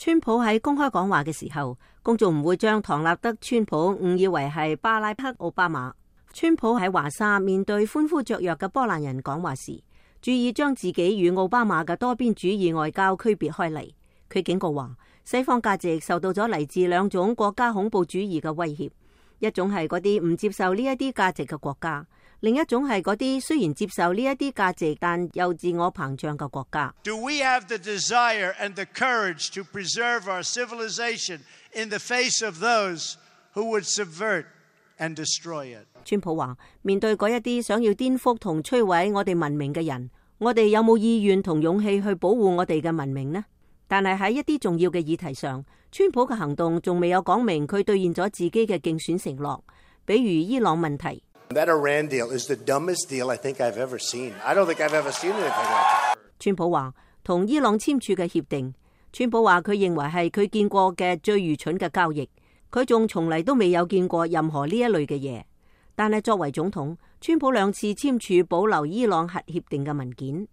川普喺公開講話嘅時候，公眾唔會將唐納德川普誤以為係巴拉克奧巴馬。川普喺華沙面對歡呼雀躍嘅波蘭人講話時，注意將自己與奧巴馬嘅多邊主義外交區別開嚟。佢警告話，西方價值受到咗嚟自兩種國家恐怖主義嘅威脅，一種係嗰啲唔接受呢一啲價值嘅國家，另一種係嗰啲雖然接受呢一啲價值但又自我膨脹嘅國家。Do we have the desire and the courage to preserve our civilization in the face of those who would subvert and destroy it? 川普話，面對嗰一啲想要顛覆同摧毀我哋文明嘅人，我哋有冇意願同勇氣去保護我哋嘅文明呢？但係喺一啲重要嘅議題上，川普嘅行動仲未有講明佢兌現咗自己嘅競選承諾，比如伊朗問題。That Iran deal is the dumbest deal I think I've ever seen. I don't think I've ever seen anything like that. 川普話同伊朗簽署嘅協定，川普話佢認為係佢見過嘅最愚蠢嘅交易，佢仲從嚟都未有見過任何呢一類嘅嘢。但係作為總統，川普兩次簽署保留伊朗核協定嘅文件。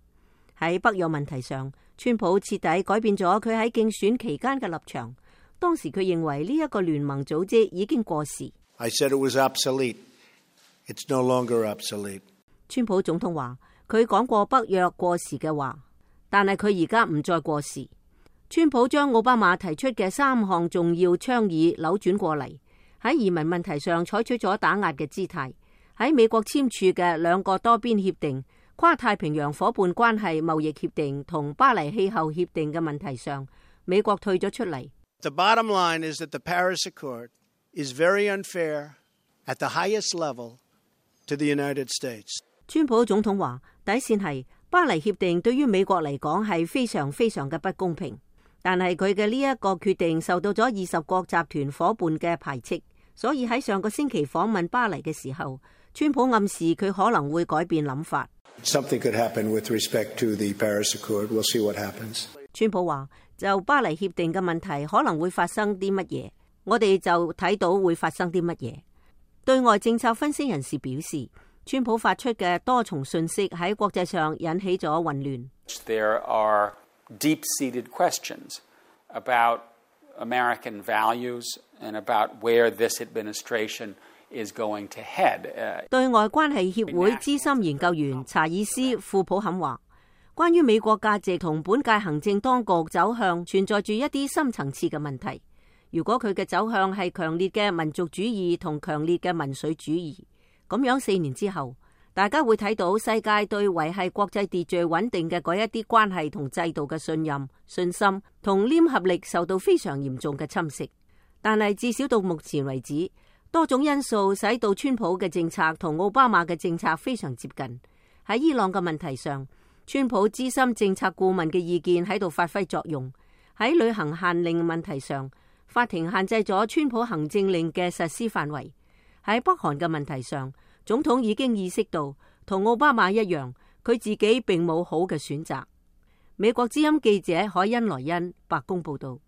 喺北約問題上，川普徹底改變咗佢喺競選期間嘅立場。當時佢認為呢一個聯盟組織已經過時。I said it was obsolete. It's no longer obsolete. 川普總統話佢講過北約過時嘅話，但係佢而家唔再過時。川普將奧巴馬提出嘅3項重要倡議扭轉過嚟，喺移民問題上採取咗打壓嘅姿態。喺美國簽署嘅2個多邊協定、跨太平洋夥伴關係貿易協定同巴黎氣候協定嘅問題上，美國退咗出嚟。The bottom line is that the Paris Accord is very unfair at the highest level to the United States. 川普總統話，底線係巴黎協定對於美國嚟講係非常非常嘅不公平，但係佢嘅呢一個決定受到咗20國集團夥伴嘅排斥，所以喺上個星期訪問巴黎嘅時候，川普暗示佢可能會改變諗法。Something could happen with respect to the Paris Accord. We'll see what happens. 川普話，就巴黎協定嘅問題可能會發生啲乜嘢，我哋就睇到會發生啲乜嘢。對外政策分析人士表示，川普發出嘅多重信息喺國際上引起咗混亂。There are deep-seated questions about American values and about where this administration is going to head. 對外關係協會資深研究員查爾斯·庫普肯話，關於美國價值同本屆行政當局走向存在住一啲深層次嘅問題。如果佢嘅走向係強烈嘅民族主義同強烈嘅民粹主義，咁樣4年之後，大家會睇到世界對維繫國際秩序穩定嘅嗰一啲關係同制度嘅信任、信心同黏合力受到非常嚴重嘅侵蝕。但係至少到目前為止，多種因素使到川普嘅政策同奧巴馬嘅政策非常接近。喺伊朗嘅問題上，川普資深政策顧問嘅意見喺度發揮作用。喺旅行限令問題上，法庭限制咗川普行政令嘅實施範圍。喺北韓嘅問題上，總統已經意識到同奧巴馬一樣，佢自己並冇好嘅選擇。美國之音記者海恩萊恩，白宮報道。